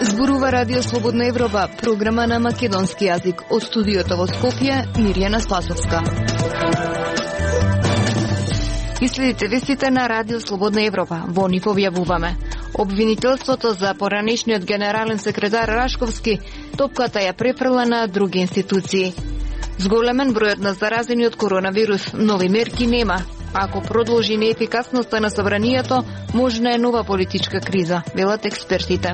Зборува Радио Слободна Европа, програма на македонски јазик. Од студиото во Скопје, Мирјана Спасовска. Иследите вестите на Радио Слободна Европа. Во нив објавуваме: обвинителството за поранешниот генерален секретар Рашковски топката ја префрла на други институции. Зголемен бројот на заразени од коронавирус, нови мерки нема. Ако продолжи неефикасноста на собранието, можна е нова политичка криза, велат експертите.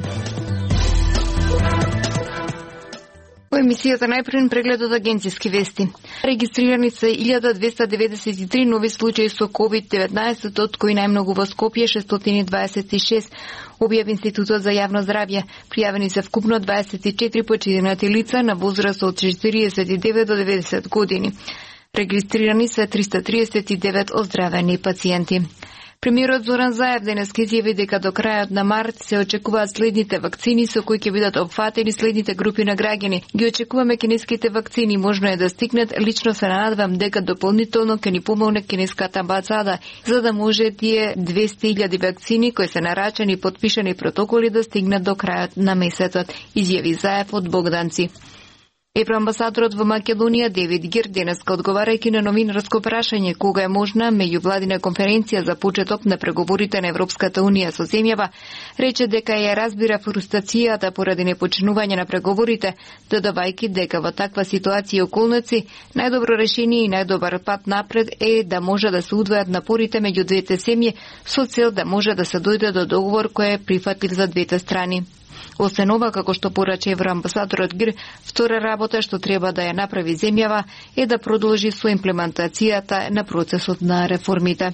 Во емисијата најпрвен преглед од агенцијски вести. Регистрирани се 1293 нови случаи со COVID-19, од кои најмногу во Скопје 626, објави Институтот за јавно здравје. Пријавени се вкупно 24 починати лица на возраст од 49 до 90 години. Регистрирани се 339 оздравени пациенти. Премиерот Зоран Заев денес изјави дека до крајот на март се очекуваат следните вакцини со кои ќе бидат опфатени следните групи на граѓани. Ги очекуваме кинеските вакцини, можно е да стигнат. Лично се надевам дека дополнително ќе ни помогне кинеската амбасада, за да може тие 200.000 вакцини кои се нарачани и потпишани протоколи да стигнат до крајот на месецот, изјави Заев од Богданци. Евроамбасадорот во Македонија Девид Гир денеска, одговарајќи на новинарско прашање кога е можна меѓувладина конференција за почеток на преговорите на Европската унија со земјава, рече дека ја разбира фрустрацијата поради непочинување на преговорите, додавајќи дека во таква ситуација и околници најдобро решение и најдобар пат напред е да може да се удвојат напорите меѓу двете семји со цел да може да се дојде до договор кој е прифатлив за двете страни. Освен ова, како што порача евроамбасадорот Гир, втора работа што треба да ја направи земјава е да продолжи со имплементацијата на процесот на реформите.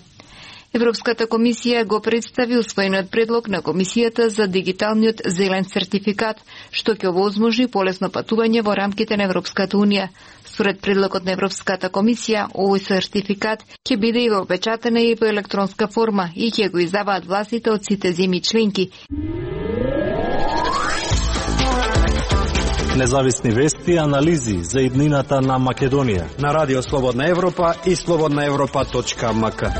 Европската комисија го представи усвоениот предлог на Комисијата за дигиталниот зелен сертификат, што ќе овозможи полесно патување во рамките на Европската унија. Според предлогот на Европската комисија, овој сертификат ќе биде и вопечатен и во електронска форма и ќе го издаваат властите од сите земји членки. Независни вести и анализи за иднината на Македонија на Радио Слободна Европа и slobodnaevropa.mk.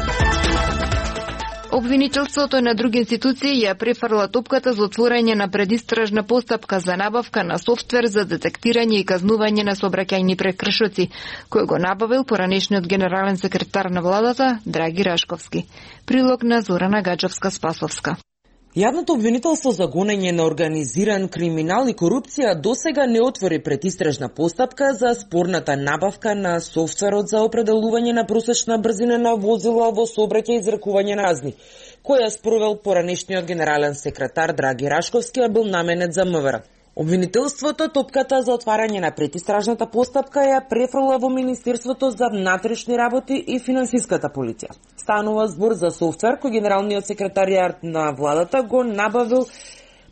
Обвинителството на други институции ја префрла топката за отворање на предистражна постапка за набавка на софтвер за детектирање и казнување на сообраќајни прекршоци, кој го набавил поранешниот генерален секретар на владата Драги Рашковски. Прилог на Зорана Гаджовска-Спасовска. Јавното обвинителство за гонење на организиран криминал и корупција досега не отвори предистражна постапка за спорната набавка на софтверот за определување на просечна брзина на возила во сообраќај и изрекување на казни, која спровел поранешниот генерален секретар Драги Рашковски, а бил наменет за МВР. Обвинителството топката за отварање на предистражната постапка ја префрла во Министерството за внатрешни работи и финансиската полиција. Станува збор за софтвер кој генералниот секретаријат на владата го набавил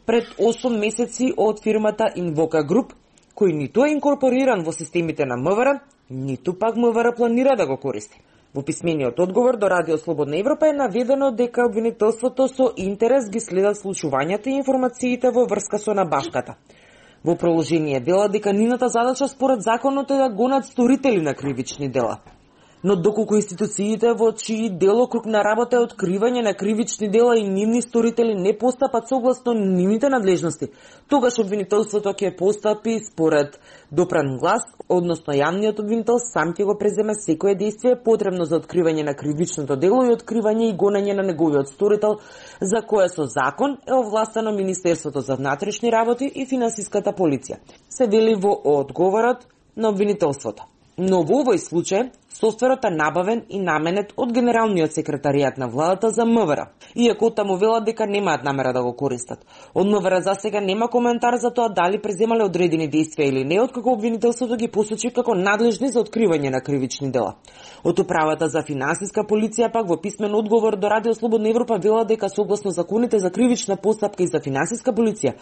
пред 8 месеци од фирмата Invoca Group, кој ниту е инкорпориран во системите на МВР, ниту пак МВР планира да го користи. Во писмениот одговор до Радио Слободна Европа е наведено дека обвинителството со интерес ги следат случувањата и информациите во врска со набавката. Во продолжение вела дека нивната задача според законот е да гонат сторители на кривични дела. Но доколку институциите во чии делокруг на работа е откривање на кривични дела и нивни сторители не постапат согласно нивните надлежности, тогаш обвинителството ќе постапи според допран глас, односно јавниот обвинител сам ќе го преземе секое дејствие потребно за откривање на кривичното дело и откривање и гонење на неговиот сторител, за кое со закон е овластено Министерството за внатрешни работи и финансиската полиција, се вели во одговорот на обвинителството. Но во овој случај, софтверот е набавен и наменет од генералниот секретаријат на владата за МВР, иако таму велат дека немаат намера да го користат. Од МВР за сега нема коментар за тоа дали преземале одредени действија или не, откако обвинителството ги посочи како надлежни за откривање на кривични дела. Од управата за финансиска полиција пак во писмен одговор до Радио Слободна Европа вела дека согласно законите за кривична постапка и за финансиска полиција,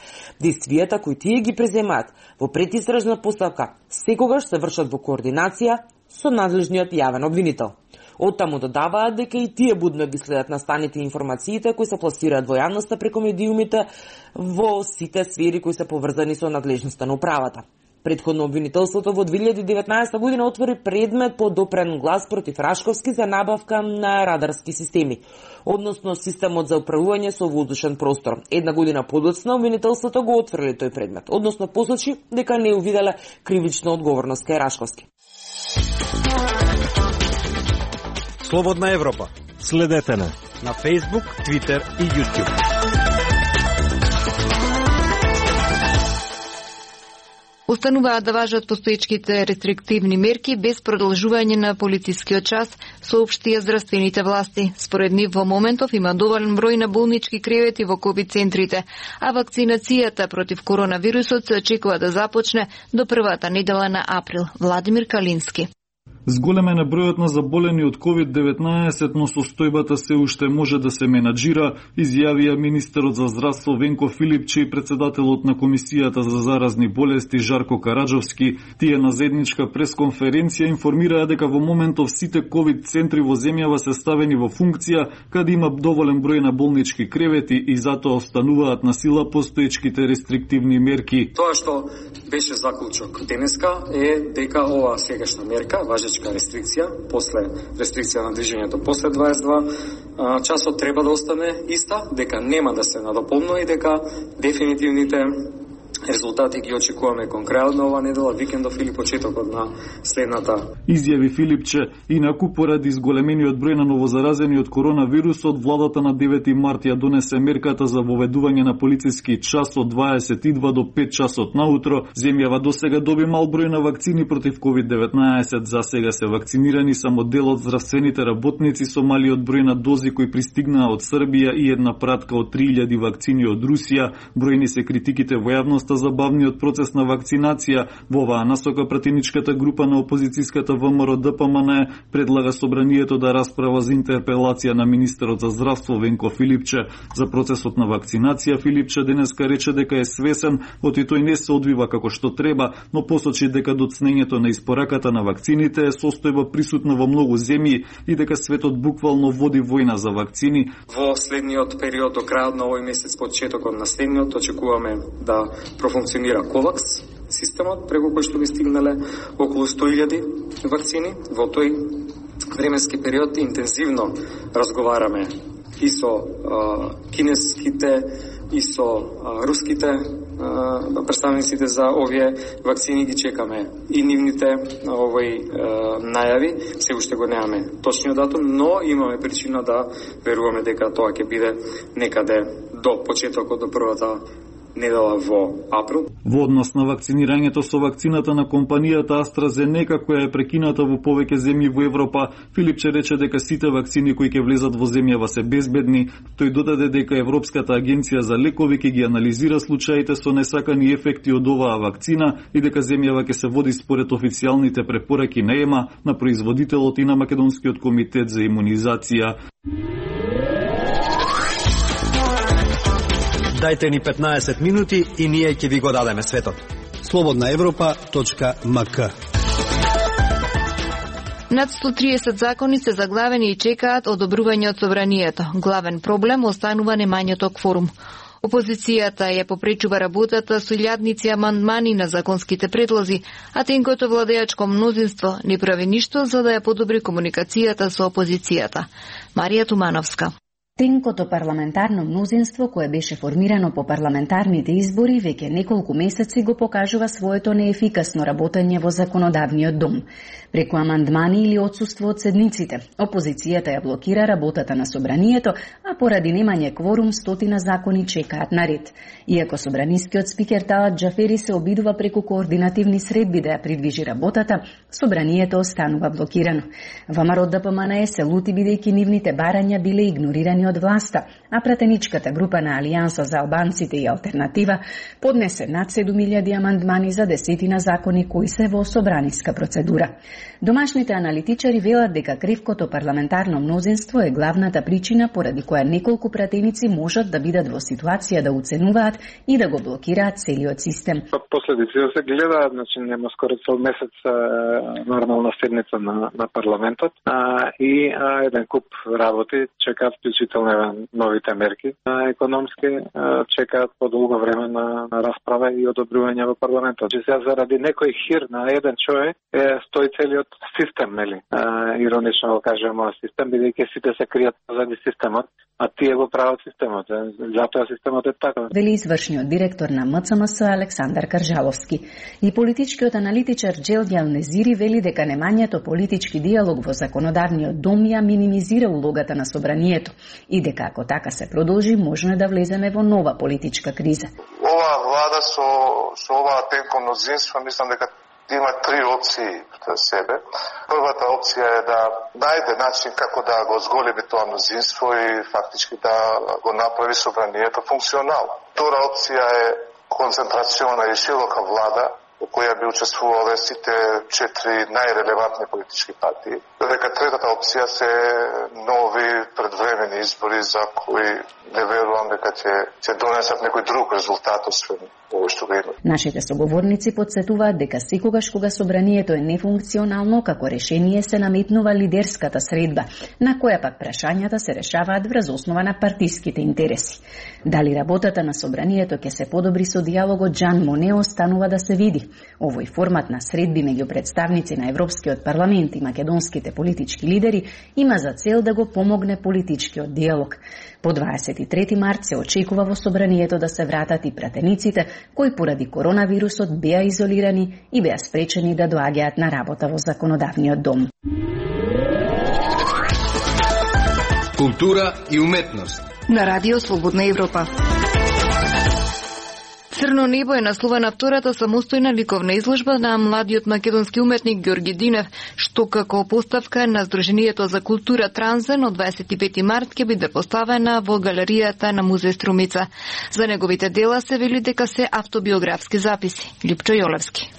действијата кои тие ги преземаат во предистражна постапка секогаш се вршат во координација со надлежниот јавен обвинител. Оттаму додаваат дека и тие будно ги следат настаните информациите кои се пласираат во јавноста преку медиумите во сите сфери кои се поврзани со надлежноста на управата. Претходно обвинителството во 2019 година отвори предмет по допрен глас против Рашковски за набавка на радарски системи, односно системот за управување со воздушен простор. Една година подоцна обвинителството го отфрли тој предмет, односно посочи дека не увиделе кривична одговорност кај Рашковски. Слободна Европа. Следете на Facebook, Twitter и YouTube. Остануваат да важат постоечките рестриктивни мерки без продолжување на полицискиот час, соопштија здравствените власти. Според нив во моментов има доволен број на болнички кревети во ковид центрите, а вакцинацијата против коронавирусот се очекува да започне до првата недела на април. Владимир Калински. Зголемен е бројот на заболени од COVID-19, но состојбата се уште може да се менаџира, изјавија министерот за здравство Венко Филипче и председателот на Комисијата за заразни болести Жарко Караджовски. Тие на заедничка пресконференција информираа дека во моментов сите COVID центри во земјава се ставени во функција, каде има доволен број на болнички кревети и затоа остануваат на сила постоечките рестриктивни мерки. Тоа што беше заклучок денеска е дека ова сегашна мерка, важечка рестрикција, после рестрикција на движењето после 22 часот треба да остане иста, дека нема да се надополнува и дека дефинитивните резултати ги очекуваме кон крајот на оваа недела, викендов или почетокот на следната. Изјави Филипче, инаку поради изголемениот број на новозаразени од коронавирусот, владата на 9 март ја донесе мерката за воведување на полициски час од 22 до 5 часот наутро. Земјава досега доби мал број на вакцини против COVID-19. За сега се вакцинирани само дел од здравствените работници со малиот број на дози кои пристигнаа од Србија и една пратка од 3000 вакцини од Русија. Бројни се критиките во јавноста за бавниот процес на вакцинација. Во оваа насока пратеничката група на опозицијската ВМРО ДПМН предлага собранието да расправа за интерпелација на министерот за здравство Венко Филипче. За процесот на вакцинација Филипче денеска рече дека е свесен, оти тој не се одвива како што треба, но посочи дека доцнењето на испораката на вакцините е состојба присутна во многу земји и дека светот буквално води војна за вакцини. Во следниот период до крајот на овој месец, почетокот на следниот, очекуваме да профункционира Ковакс системот, преку кој што би стигнале околу 100.000 вакцини. Во тој временски период интензивно разговараме и со кинеските, и со руските представниците за овие вакцини, ги чекаме и нивните најави. Се уште го немаме точниот датум, но имаме причина да веруваме дека тоа ќе биде некаде до почетокот, до првата недела во април. Во однос на вакцинирањето со вакцината на компанијата AstraZeneca, која е прекината во повеќе земји во Европа, Филипче рече дека сите вакцини кои ќе влезат во земјава се безбедни. Тој додаде дека Европската агенција за лекови ќе ги анализира случаите со несакани ефекти од оваа вакцина и дека земјава ќе се води според официјалните препораки на ЕМА, на производителот и на Македонскиот комитет за имунизација. Дајте ни 15 минути и ние ќе ви го дадеме светот. slobodnaevropa.mk. Над 130 закони се заглавени и чекаат одобрување од собранието. Главен проблем останува немањето кворум. Опозицијата ја попречува работата со илјадници амандмани на законските предлози, а тенкото владеачко мнозинство не прави ништо за да ја подобри комуникацијата со опозицијата. Марија Тумановска. Тенкото парламентарно мнозинство, кое беше формирано по парламентарните избори, веќе неколку месеци го покажува своето неефикасно работење во законодавниот дом. Преку амандмани или отсуство од седниците, опозицијата ја блокира работата на собранието, а поради немање кворум стотина закони чекаат на ред. Иако собранискиот спикер Талат Џафери се обидува преку координативни средби да ја придвижи работата, собранието останува блокирано. ВМРО ДПМН се лути бидејќи нивните барања биле игнорирани од власта, а пратеничката група на Алијанса за албанците и Алтернатива поднесе над 7.000 амандмани за десетина закони кои се во собраниска процедура. Домашните аналитичари велат дека кревкото парламентарно мнозинство е главната причина поради која неколку пратеници можат да бидат во ситуација да уценуваат и да го блокираат целиот систем. Последиците се гледаат, значи нема скоро цел месец нормална седница на парламентот и еден куп работи чекаат вклучително вклучително новите мерки економски чекаат подолго време на расправа и одобрување во парламентот. Сега заради некој хир на еден човек стои целиот систем, нели? Иронично го кажем, систем, бидејќи сите се кријат заради системот, а тие го прават системот. Затоа системот е така. Вели извршниот директор на МЦМС Александар Каржаловски. И политичкиот аналитичар Джелдјан Незири вели дека немањето политички диалог во законодавниот дом ја минимизира улогата на собранието и дека ако така се продолжи, можно да влеземе во нова политичка криза. Оваа влада со оваа тенко мнозинство, мислам дека има три опции за себе. Првата опција е да најде начин како да го зголеми тоа мнозинство и фактички да го направи собранието функционално. Втора опција е концентрациона и широка влада, во која би учествувале сите 4 најрелевантни политички партии. Додека третата опција се нови предвремени избори за кои не верувам дека ќе донесат некој друг резултат освен овој што го има. Нашите соговорници подсетуваат дека секогаш кога собранието е нефункционално, како решение се наметнува лидерската средба, на која пак прашањата се решаваат врз основа на партиските интереси. Дали работата на собранието ќе се подобри со диалогот Жан Моне останува да се види. Овој формат на средби меѓу представници на Европскиот парламент и македонските политички лидери има за цел да го помогне политичкиот диалог. По 23 март се очекува во собранието да се вратат и пратениците кои поради коронавирусот беа изолирани и беа спречени да доаѓаат на работа во законодавниот дом. Култура и уметност на Радио Слободна Европа. Црно небо е насловена втората самостојна ликовна изложба на младиот македонски уметник Ѓорги Динев, што како поставка на Сдруженијето за култура Транзен од 25 март ќе биде поставена во галеријата на музеј Струмица. За неговите дела се вели дека се автобиографски записи. Липчо Јолевски.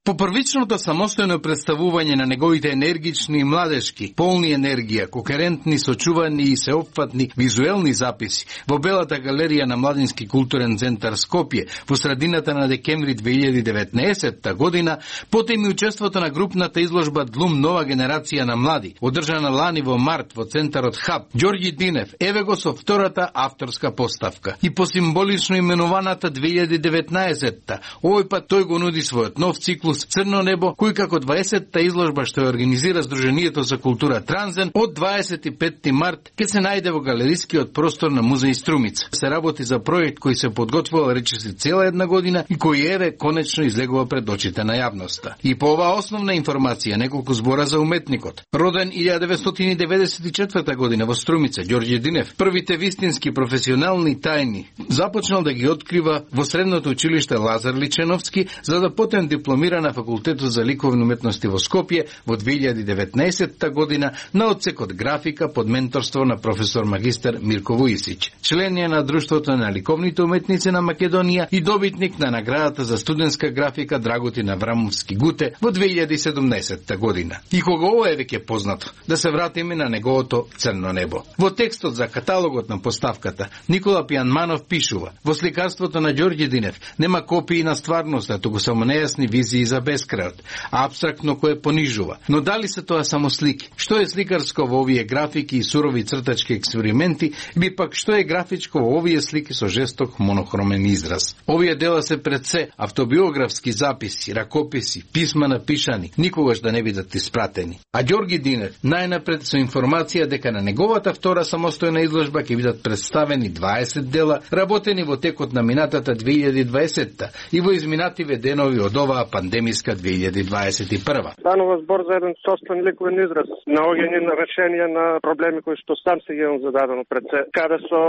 По првичното самостојно представување на неговите енергични и младешки, полни енергија, кохерентни, сочувани и сеопфатни визуелни записи во Белата галерија на Младински културен центар Скопје во средината на декември 2019 година, потем и учеството на групната изложба Длум нова генерација на млади, одржана лани во март во центарот Хаб, Ѓорги Динев еве го со втората авторска поставка. И по символично именуваната 2019-та, овој пат тој го нуди својот нов циклус Црно небо, кој како 20-та изложба што ја организира Сдруженијето за култура Транзен од 25 март ќе се најде во галерискиот простор на музеј Струмица. Се работи за проект кој се подготвува речиси цела една година и кој еве конечно излегува пред очите на јавноста. И по оваа основна информација неколку збора за уметникот. Роден 1994 година во Струмица, Ѓорги Динев, првите вистински професионални тајни започнал да ги открива во средното училиште Лазар Личеновски, за да потем дипломира на Факултетот за ликовни уметности во Скопје во 2019 година на одсекот графика под менторство на професор магистар Мирко Вујсич. Член е на Друштвото на ликовните уметници на Македонија и добитник на наградата за студентска графика Драготин Аврамовски Гуте во 2017 година. И кога ова е веќе познато, да се вратиме на неговото Црно небо. Во текстот за каталогот на поставката Никола Пијанманов пишува: во сликарството на Ѓорги Динев нема копии на стварноста, туку само нејасни визии за бескрајот, апстрактно кое понижува. Но дали се тоа само слики? Што е сликарско во овие графики и сурови цртачки експерименти, би пак што е графичко во овие слики со жесток монохромен израз? Овие дела се пред се автобиографски записи, ракописи, писма напишани, никогаш да не бидат испратени. А Ѓорги Динев најнапред со информација дека на неговата втора самостојна изложба ќе бидат представени 20 дела, работени во текот на минатата 2020-та и во изминативе денови од оваа пандемиска 2021. Станува збор за еден собствен ликовен израз, наоѓање на решенија на проблеми кои што сам се имам зададено пред се, каде со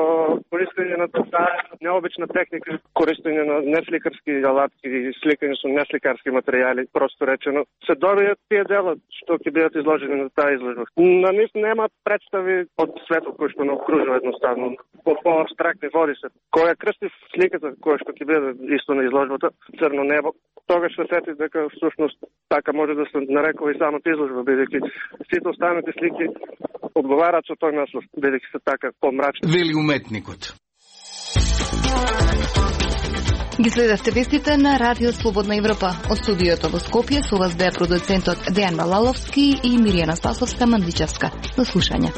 користење на таа необична техника, користење на несликарски алатки и сликање со несликарски материјали, просто речено, се добијат тие дела што ќе бидат изложени на таа изложба. На нив нема представи од светот кој што не окружува едноставно. По абстрактни води се. Која крстив сликата која што ќе биде исто на изложбата Црно небо, тогаш се сети дека всушност така може да се нарекува и самата изложба, бидејќи сите останати слики одговараат со тој наслов, бидејќи се така помрачни. Вели уметникот. Ги следевте вестите на Радио Слободна Европа. Од студиото во Скопје со вас беа продуцентот Дејан Балаловски и Миријана Спасовска-Мандличевска. До слушање.